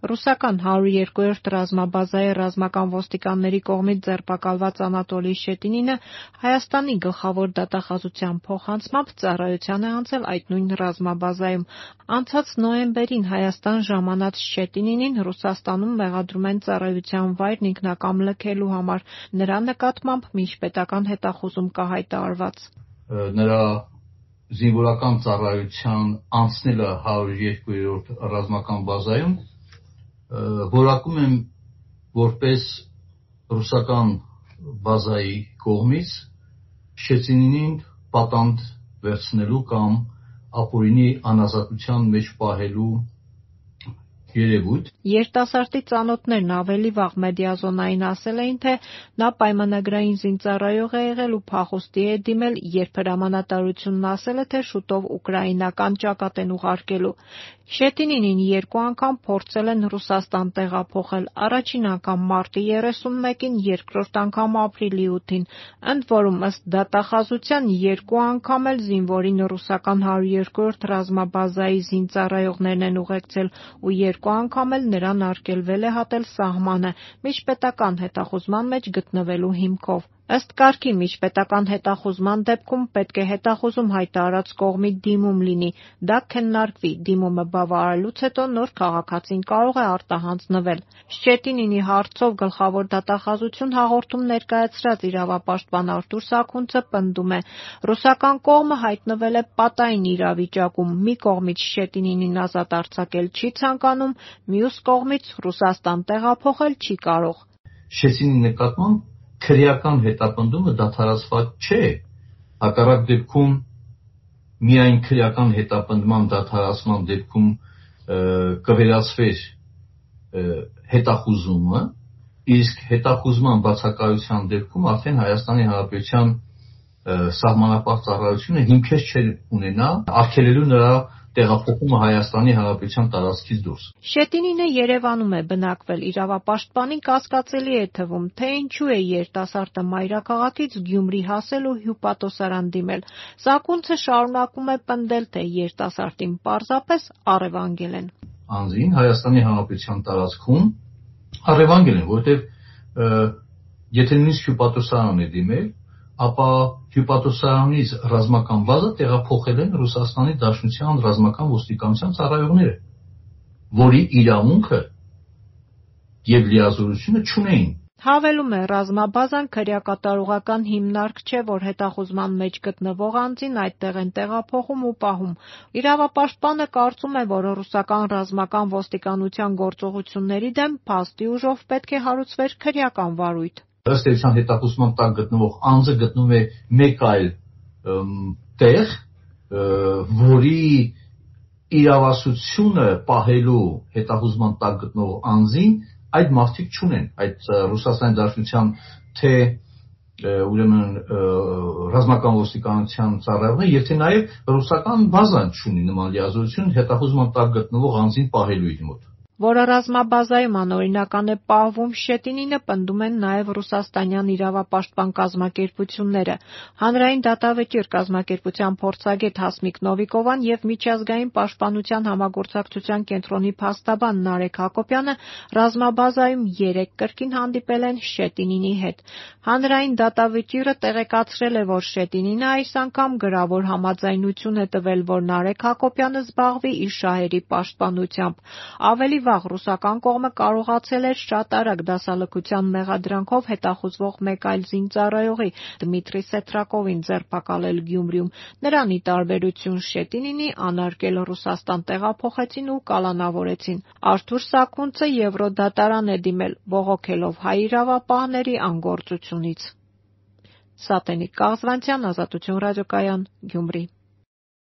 Ռուսական 102-րդ ռազմաբազայի ռազմական ոստիկանների կողմից ձերբակալված Անատոլի Շետինինը Հայաստանի գլխավոր դատախազության փոխանցմամբ ծառայության է անցել այդ նույն ռազմաբազայում։ Անցած նոյեմբերին Հայաստան ժամանած Շետինինին Ռուսաստանում մեղադրում են ծառայության վայրն ինքնակամ լքելու համար։ Նրա նկատմամբ միջպետական հետախուզում կա հայտարարված։ Նրա զինվորական ծառայության անցնելը 102-րդ ռազմական բազայում որակում եմ որպես ռուսական բազայի կողմից Շետինինին պատանդ վերցնելու կամ ապօրինի անազատության մեջ պահելու երևույթ։ Երիտասարդի ծանոթներն ավելի վաղ մեդիազոնային ասել էին, թե նա պայմանագրային զինծառայող է եղել ու փախուստի է դիմել, երբ հրամանատարությունն ասել է, թե շուտով ուկրաինական ճակատ են ուղարկելու։ Շետինինին 2 անգամ փորձել են Ռուսաստան տեղափոխել, առաջին անգամ մարտի 31-ին, երկրորդ անգամ ապրիլի 8-ին։ Ընդ որում, ըստ դատախազության 2 անգամ էլ զինվորին ռուսական 102-րդ ռազմաբազայի զինծառայողներն են ուղեկցել ու 2 անգամ էլ նրան արգելվել է հատել սահմանը միջպետական հետախուզման մեջ գտնվելու հիմքով։ Ըստ կարգի միջպետական հետախուզման դեպքում պետք է հետախուզում հայտարարած կողմի դիմում լինի, դա քննարկվի, դիմումը բավարարելուց հետո նոր քաղաքացին կարող է արտահանձնվել։ Շետինինի հարցով գլխավոր դատախազություն հաղորդում ներկայացրած իրավապաշտպան Արթուր Սաքունցը պնդում է. ռուսական կողմը հայտնվել է պատային իրավիճակում, մի կողմից Շետինինին ազատ արձակել չի ցանկանում, մյուս կողմից Ռուսաստան տեղափոխել չի կարող։ Շետինի նկատմամբ քրեական հետապնդումը դադարեցված չէ, հակառակ դեպքում միայն քրեական հետապնդման դադարեցման դեպքում կվերացվեր հետախուզումը, իսկ հետախուզման բացակայության դեպքում արդեն Հայաստանի Հանրապետության սահմանապահ ծառայությունը հիմքեր չէր ունենա արգելելու նրա տեղափոխումը Հայաստանի Հանրապետության տարածքից դուրս։ Շետինինը Երևանում է բնակվել, իրավապաշտպանին կասկածելի է թվում, թե ինչու է երիտասարդը մայրաքաղաքից Գյումրի հասել ու հյուպատոսարան դիմել։ Սաքունցը շարունակում է պնդել, թե երիտասարդին պարզապես առևանգել են։ Անձին Հայաստանի Հանրապետության տարածքում առևանգել են, որովհետև եթե նույնիսկ հյուպատոսարան է դիմել, ապա հյուպատոսարանից ռազմական բազա տեղափոխել են Ռուսաստանի Դաշնության ռազմական ոստիկանության ծառայողները, որի իրավունքը և լիազորությունը չունեին։ Հավելում է, ռազմաբազան քրեակատարողական հիմնարկ չէ, որ հետախուզման մեջ գտնվող անձին այդտեղ են տեղափոխում ու պահում։ Իրավապաշտպանը կարծում է, որ ռուսական ռազմական ոստիկանության գործողությունների դեմ փաստի ուժով պետք է հարուցվեր քրեական վարույթ։ Ըստ էության հետախուզման տակ գտնվող անձը գտնվում է մեկ այլ տեղ, որի իրավասությունը պահելու հետախուզման տակ գտնվող անձին այդ մարդիկ չունեն, այդ Ռուսաստանի Դաշնության թե ուրեմն ռազմական ոստիկանության ծառայողները եւ թե նաեւ ռուսական բազան չունի նման լիազորություն հետախուզման տակ գտնվող անձին պահելու իր մոտ։ Որը ռազմաբազայում անօրինական է պահվում, Շետինինը պնդում են նաև ռուսաստանյան իրավապաշտպան կազմակերպությունները։ Հանրային դատավճիռ կազմակերպության փորձագետ Հասմիկ Նովիկովան եւ Միջազգային պաշտպանության համագործակցության կենտրոնի փաստաբան Նարեկ Հակոբյանը ռազմաբազայում 3 կրկին հանդիպել են Շետինինի հետ։ Հանրային դատավճիռը տեղեկացրել է, որ Շետինինը այս անգամ գրավոր համաձայնություն է տվել, որ Նարեկ Հակոբյանը զբաղվի իր շահերի պաշտպանությամբ։ Ավելի վաղ ռուսական կողմը կարողացել էր շատ արագ դասալքության մեղադրանքով հետախուզվող մեկ այլ զինծառայողի Դմիտրի Սեթրակովին ձերբակալել Գյումրիում։ Նրան ի տարբերություն Շետինինի անարգել Ռուսաստան տեղափոխեցին ու կալանավորեցին։ Արթուր Սաքունցը Եվրոդատարան է դիմել, բողոքելով հայ իրավապահների անգործությունից։ Սատենիկ Կաղզվանցյան, Ազատություն ռադիոկայան, Գյումրի։